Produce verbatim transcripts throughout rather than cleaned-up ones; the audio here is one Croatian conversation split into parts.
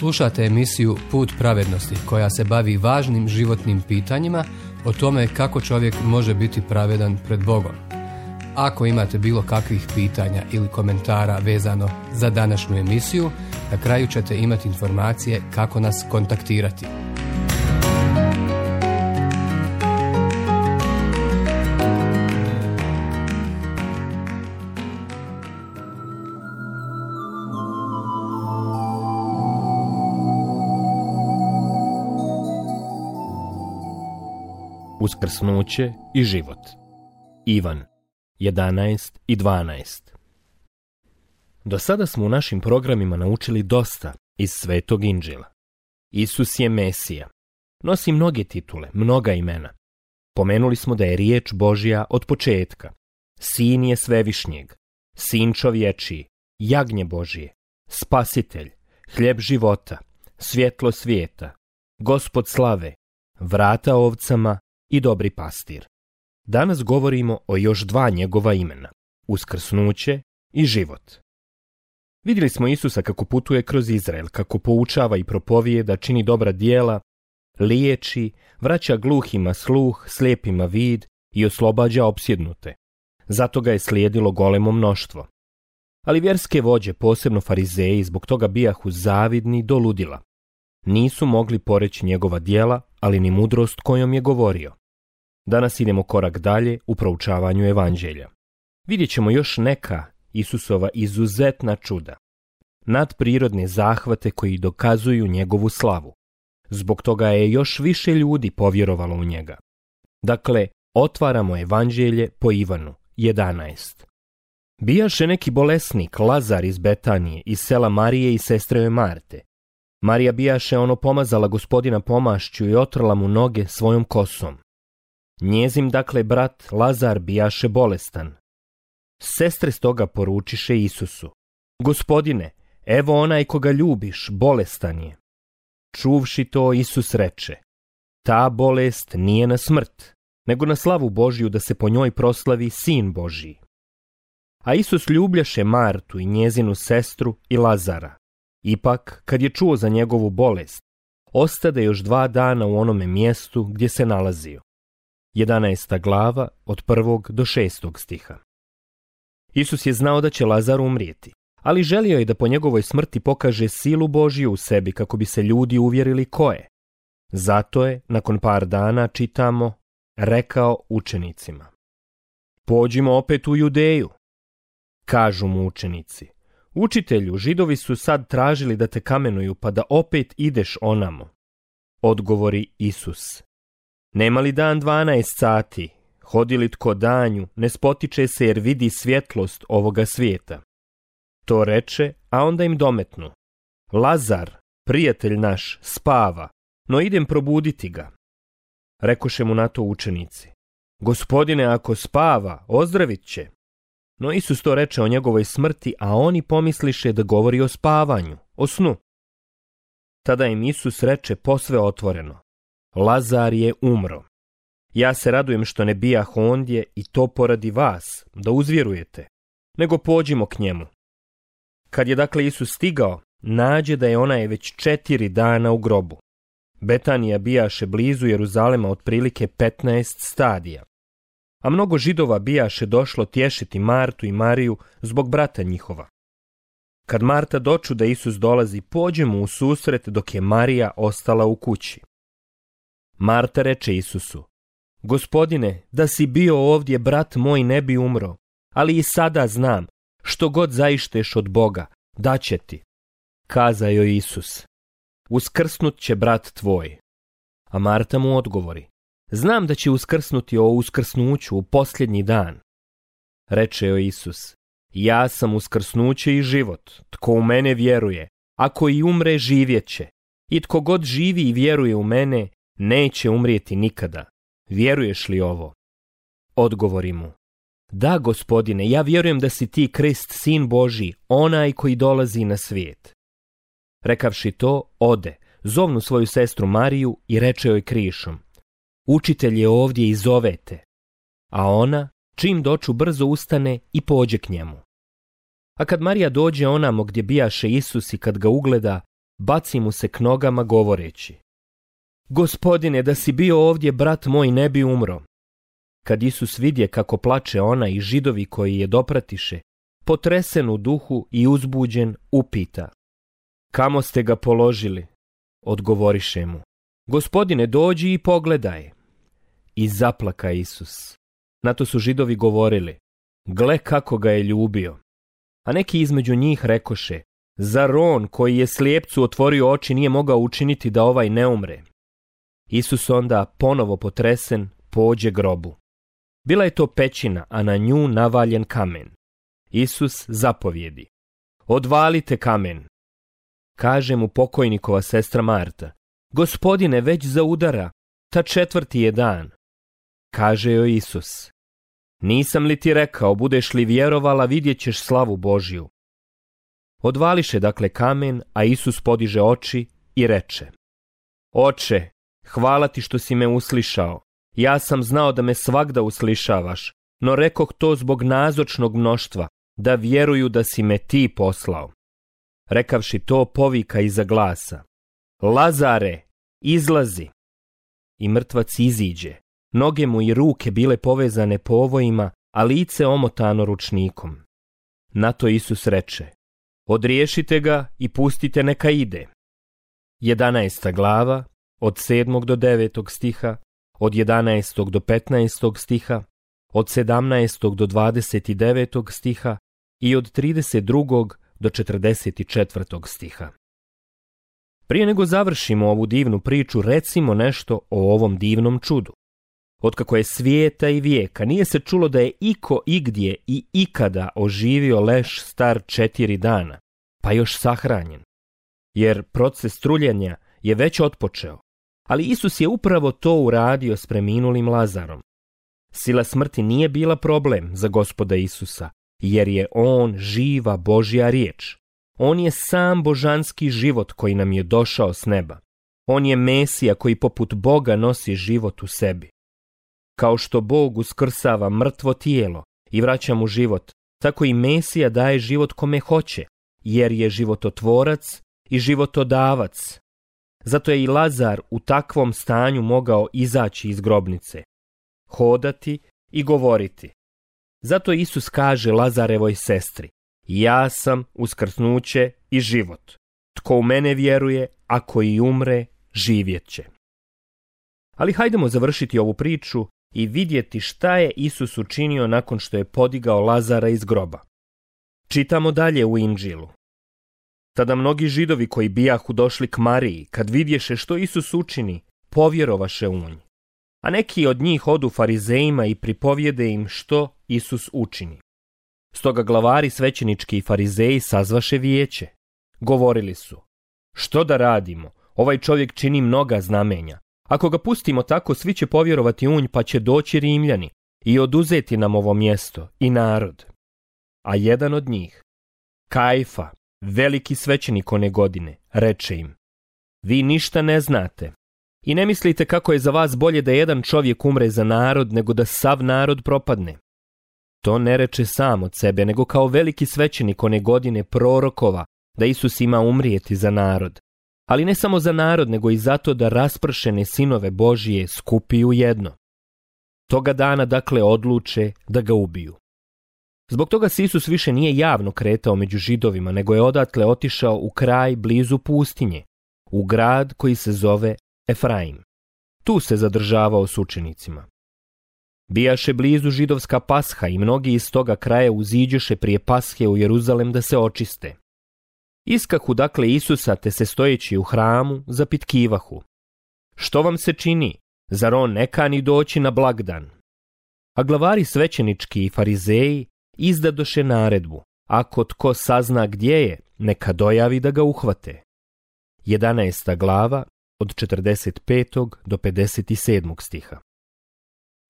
Slušate emisiju Put pravednosti koja se bavi važnim životnim pitanjima o tome kako čovjek može biti pravedan pred Bogom. Ako imate bilo kakvih pitanja ili komentara vezano za današnju emisiju, na kraju ćete imati informacije kako nas kontaktirati. Uskrsnuće i život. Ivan jedanaest i dvanaest. Do sada smo u našim programima naučili dosta iz Svetog Inđila. Isus je Mesija. Nosi mnoge titule, mnoga imena. Pomenuli smo da je riječ Božja od početka. Sin je Svevišnjeg, Sin čovječiji, Jagnje Božije, Spasitelj, Hljeb života, Svjetlo svijeta, Gospod slave, Vrata ovcama i Dobri pastir. Danas govorimo o još dva njegova imena, uskrsnuće i život. Vidjeli smo Isusa kako putuje kroz Izrael, kako poučava i propovijeda, čini dobra djela, liječi, vraća gluhima sluh, slijepima vid i oslobađa opsjednute. Zato ga je slijedilo golemo mnoštvo. Ali vjerske vođe, posebno farizeji, zbog toga bijahu zavidni do ludila. Nisu mogli poreći njegova djela, ali ni mudrost kojom je govorio. Danas idemo korak dalje u proučavanju evanđelja. Vidjet ćemo još neka Isusova izuzetna čuda, nadprirodne zahvate koji dokazuju njegovu slavu. Zbog toga je još više ljudi povjerovalo u njega. Dakle, otvaramo evanđelje po Ivanu jedanaest. Bijaše neki bolesnik, Lazar iz Betanije, iz sela Marije i sestreve Marte. Marija bijaše ono pomazala Gospodina pomašću i otrla mu noge svojom kosom. Njezin dakle brat Lazar bijaše bolestan. Sestre stoga poručiše Isusu: Gospodine, evo onaj koga ljubiš, bolestan je. Čuvši to, Isus reče: Ta bolest nije na smrt, nego na slavu Božju, da se po njoj proslavi Sin Božji. A Isus ljubljaše Martu i njezinu sestru i Lazara. Ipak, kad je čuo za njegovu bolest, ostade još dva dana u onome mjestu gdje se nalazio. jedanaesta glava od prvog do šestog stiha. Isus je znao da će Lazar umrijeti, ali želio je da po njegovoj smrti pokaže silu Božju u sebi kako bi se ljudi uvjerili ko je. Zato je, nakon par dana, čitamo, rekao učenicima: Pođimo opet u Judeju. Kažu mu učenici: Učitelju, Židovi su sad tražili da te kamenuju, pa da opet ideš onamo. Odgovori Isus: Nema li dan dvanaest sati? Hodi li tko danju, ne spotiče se jer vidi svjetlost ovoga svijeta. To reče, a onda im dometnu: Lazar, prijatelj naš, spava, no idem probuditi ga. Rekoše mu na to učenici: Gospodine, ako spava, ozdravit će. No Isus to reče o njegovoj smrti, a oni pomisliše da govori o spavanju, o snu. Tada im Isus reče posve otvoreno: Lazar je umro. Ja se radujem što ne bijah ondje i to poradi vas, da uzvjerujete, nego pođimo k njemu. Kad je dakle Isus stigao, nađe da je onaj već četiri dana u grobu. Betanija bijaše blizu Jeruzalema otprilike petnaest stadija. A mnogo Židova bijaše došlo tješiti Martu i Mariju zbog brata njihova. Kad Marta doču da Isus dolazi, pođe mu u susret dok je Marija ostala u kući. Marta reče Isusu: Gospodine, da si bio ovdje, brat moj ne bi umro, ali i sada znam, što god zaišteš od Boga, daće ti. Kaza joj Isus: Uskrsnut će brat tvoj. A Marta mu odgovori: Znam da će uskrsnuti o uskrsnuću u posljednji dan. Reče joj Isus: Ja sam uskrsnuće i život. Tko u mene vjeruje, ako i umre, živjet će. I tko god živi i vjeruje u mene, neće umrijeti nikada. Vjeruješ li ovo? Odgovori mu: Da, Gospodine, ja vjerujem da si ti Krist, Sin Božji, onaj koji dolazi na svijet. Rekavši to, ode, zovnu svoju sestru Mariju i reče joj krišom: Učitelj je ovdje i zovete. A ona, čim doču, brzo ustane i pođe k njemu. A kad Marija dođe onamo gdje bijaše Isus i kad ga ugleda, baci mu se k nogama govoreći: Gospodine, da si bio ovdje, brat moj ne bi umro. Kad Isus vidje kako plače ona i Židovi koji je dopratiše, potresen u duhu i uzbuđen, upita: Kamo ste ga položili? Odgovoriše mu: Gospodine, dođi i pogledaj. I zaplaka Isus. Na to su Židovi govorili: Gle kako ga je ljubio. A neki između njih rekoše: Zar on koji je slijepcu otvorio oči nije mogao učiniti da ovaj ne umre? Isus onda, ponovo potresen, pođe grobu. Bila je to pećina, a na nju navaljen kamen. Isus zapovjedi: Odvalite kamen. Kaže mu pokojnikova sestra Marta: Gospodine, već zaudara, ta četvrti je dan. Kaže joj Isus: Nisam li ti rekao, budeš li vjerovala, vidjet ćeš slavu Božju. Odvališe dakle kamen, a Isus podiže oči i reče: Oče, hvala ti što si me uslišao. Ja sam znao da me svagda uslišavaš, no rekoh to zbog nazočnog mnoštva, da vjeruju da si me ti poslao. Rekavši to, povika iza glasa: Lazare, izlazi! I mrtvac iziđe, noge mu i ruke bile povezane povojima, a lice omotano ručnikom. Na to Isus reče: Odriješite ga i pustite neka ide. Jedanaesta glava, od sedmog do devetog stiha, od jedanaestog do petnaestog stiha, od sedamnaestog do dvadeset devetog stiha i od trideset drugog do četrdeset četvrtog stiha. Prije nego završimo ovu divnu priču, recimo nešto o ovom divnom čudu. Otkako je svijeta i vijeka, nije se čulo da je iko igdje i ikada oživio leš star četiri dana, pa još sahranjen. Jer proces truljenja je već otpočeo, ali Isus je upravo to uradio s preminulim Lazarom. Sila smrti nije bila problem za Gospoda Isusa, jer je on živa Božja riječ. On je sam božanski život koji nam je došao s neba. On je Mesija koji poput Boga nosi život u sebi. Kao što Bog uskrsava mrtvo tijelo i vraća mu život, tako i Mesija daje život kome hoće, jer je živototvorac i životodavac. Zato je i Lazar u takvom stanju mogao izaći iz grobnice, hodati i govoriti. Zato Isus kaže Lazarevoj sestri: Ja sam uskrsnuće i život. Tko u mene vjeruje, ako i umre, živjet će. Ali hajdemo završiti ovu priču i vidjeti šta je Isus učinio nakon što je podigao Lazara iz groba. Čitamo dalje u Inđilu. Tada mnogi Židovi koji bijahu došli k Mariji, kad vidješe što Isus učini, povjerovaše u nj. A neki od njih odu farizejima i pripovjede im što Isus učini. Stoga glavari svećenički i farizeji sazvaše vijeće. Govorili su: Što da radimo? Ovaj čovjek čini mnoga znamenja. Ako ga pustimo tako, svi će povjerovati u nj, pa će doći Rimljani i oduzeti nam ovo mjesto i narod. A jedan od njih, Kajfa, veliki svećenik one godine, reče im: Vi ništa ne znate i ne mislite kako je za vas bolje da jedan čovjek umre za narod nego da sav narod propadne. To ne reče sam od sebe, nego kao veliki svećenik one godine prorokova da Isus ima umrijeti za narod. Ali ne samo za narod, nego i zato da raspršene sinove Božije skupi u jedno. Toga dana dakle odluče da ga ubiju. Zbog toga se Isus više nije javno kretao među Židovima, nego je odatle otišao u kraj blizu pustinje, u grad koji se zove Efraim. Tu se zadržavao s učenicima. Bijaše blizu židovska pasha i mnogi iz toga kraja uziđoše prije pashe u Jeruzalem da se očiste. Iskahu dakle Isusa, te se stojeći u hramu zapitkivahu: Što vam se čini? Zar on ne kani doći na blagdan? A glavari svećenički i farizeji izdadoše naredbu: Ako tko sazna gdje je, neka dojavi da ga uhvate. Jedanaesta glava, od četrdeset petog do pedeset sedmog stiha.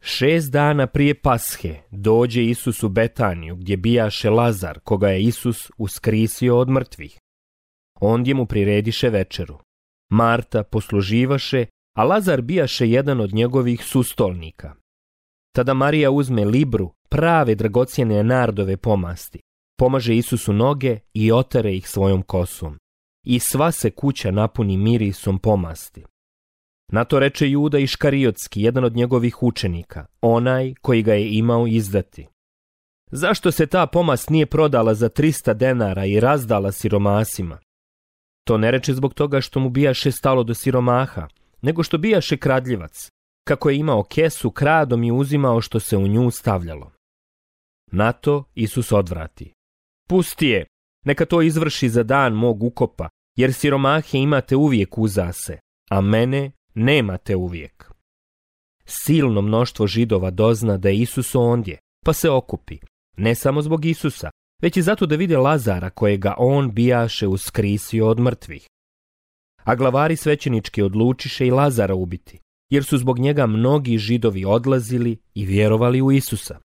Šest dana prije pashe dođe Isus u Betaniju, gdje bijaše Lazar, koga je Isus uskrisio od mrtvih. Ondje mu prirediše večeru. Marta posluživaše, a Lazar bijaše jedan od njegovih sustolnika. Tada Marija uzme libru prave dragocjene nardove pomasti, pomaže Isusu noge i otare ih svojom kosom. i sva se kuća napuni mirisom pomasti. Na to reče Juda Iškariotski, jedan od njegovih učenika, onaj koji ga je imao izdati. Zašto se ta pomast nije prodala za trista denara i razdala siromasima? To ne reče zbog toga što mu bijaše stalo do siromaha, nego što bijaše kradljivac, kako je imao kesu, kradom i uzimao što se u nju stavljalo. Na to Isus odvrati. Pusti je, neka to izvrši za dan mog ukopa, jer siromahe imate uvijek uza se, a mene nemate uvijek. Silno mnoštvo Židova dozna da je Isus ondje, pa se okupi, ne samo zbog Isusa, već i zato da vide Lazara kojega on bijaše uskrisio od mrtvih. A glavari svećenički odlučiše i Lazara ubiti, jer su zbog njega mnogi Židovi odlazili i vjerovali u Isusa.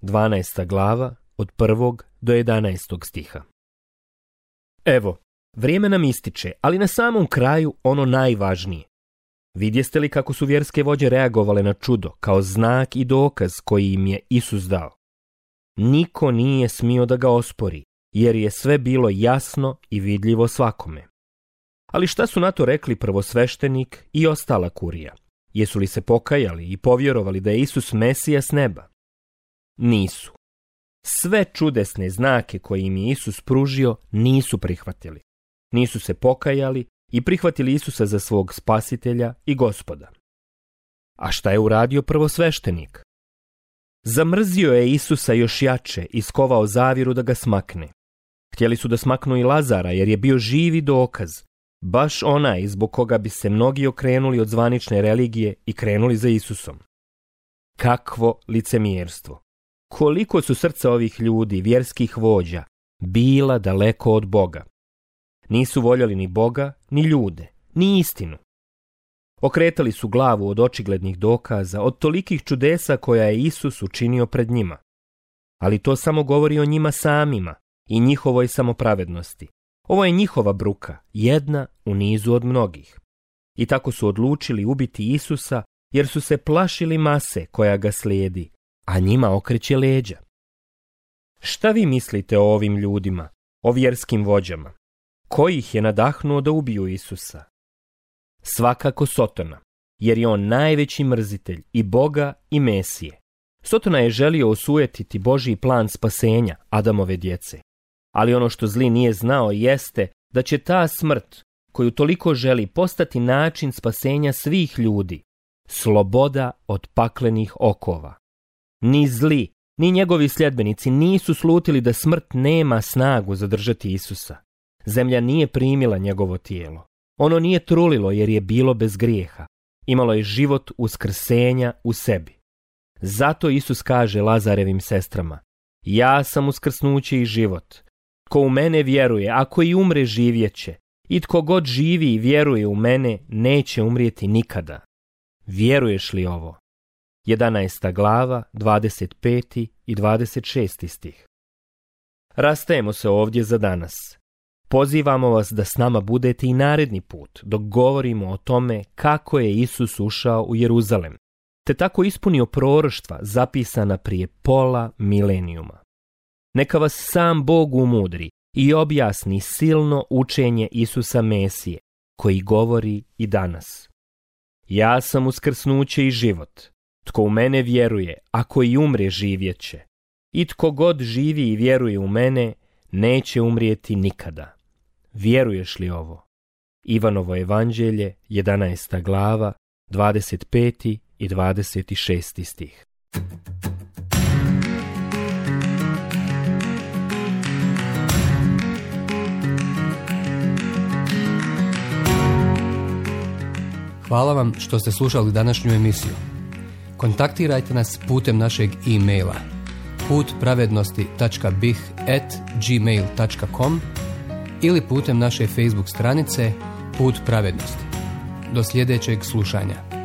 dvanaesta glava od prvog do jedanaestog stiha. Evo, vrijeme nam ističe, ali na samom kraju ono najvažnije. Vidjeste li kako su vjerske vođe reagovale na čudo, kao znak i dokaz koji im je Isus dao? Niko nije smio da ga ospori, jer je sve bilo jasno i vidljivo svakome. Ali šta su na to rekli prvosveštenik i ostala kurija? Jesu li se pokajali i povjerovali da je Isus Mesija s neba? Nisu. Sve čudesne znake koje im je Isus pružio nisu prihvatili. Nisu se pokajali i prihvatili Isusa za svog spasitelja i gospoda. A šta je uradio prvosveštenik? Zamrzio je Isusa još jače i skovao zavjeru da ga smakne. Htjeli su da smaknu i Lazara jer je bio živi dokaz, baš onaj zbog koga bi se mnogi okrenuli od zvanične religije i krenuli za Isusom. Kakvo licemjerstvo! Koliko su srca ovih ljudi, vjerskih vođa, bila daleko od Boga. Nisu voljeli ni Boga, ni ljude, ni istinu. Okretali su glavu od očiglednih dokaza, od tolikih čudesa koja je Isus učinio pred njima. Ali to samo govori o njima samima i njihovoj samopravednosti. Ovo je njihova bruka, jedna u nizu od mnogih. I tako su odlučili ubiti Isusa jer su se plašili mase koja ga slijedi, a njima okreće leđa. Šta vi mislite o ovim ljudima, o vjerskim vođama? Ko ih je nadahnuo da ubiju Isusa? Svakako Sotona, jer je on najveći mrzitelj i Boga i Mesije. Sotona je želio osujetiti Božji plan spasenja Adamove djece. Ali ono što zli nije znao jeste da će ta smrt, koju toliko želi, postati način spasenja svih ljudi, sloboda od paklenih okova. Ni zli, ni njegovi sljedbenici nisu slutili da smrt nema snagu zadržati Isusa. Zemlja nije primila njegovo tijelo. Ono nije trulilo jer je bilo bez grijeha. Imalo je život uskrsenja u sebi. Zato Isus kaže Lazarevim sestrama: ja sam uskrsnuće i život. Tko u mene vjeruje, ako i umre, živjeće. I tko god živi i vjeruje u mene, neće umrijeti nikada. Vjeruješ li ovo? jedanaesta glava, dvadeset peti i dvadeset šesti stih. Rastajemo se ovdje za danas. Pozivamo vas da s nama budete i naredni put, dok govorimo o tome kako je Isus ušao u Jeruzalem, te tako ispunio proroštva zapisana prije pola milenijuma. Neka vas sam Bog umudri i objasni silno učenje Isusa Mesije, koji govori i danas. Ja sam uskrsnuće i život. Tko u mene vjeruje, ako i umre, živjeće. I tko god živi i vjeruje u mene, neće umrijeti nikada. Vjeruješ li ovo? Ivanovo evanđelje, jedanaesta glava, dvadeset peti i dvadeset šesti stih. Hvala vam što ste slušali današnju emisiju. Kontaktirajte nas putem našeg e-maila put pravednosti tačka b i h at gmail tačka com ili putem naše Facebook stranice Put pravednosti. Do sljedećeg slušanja.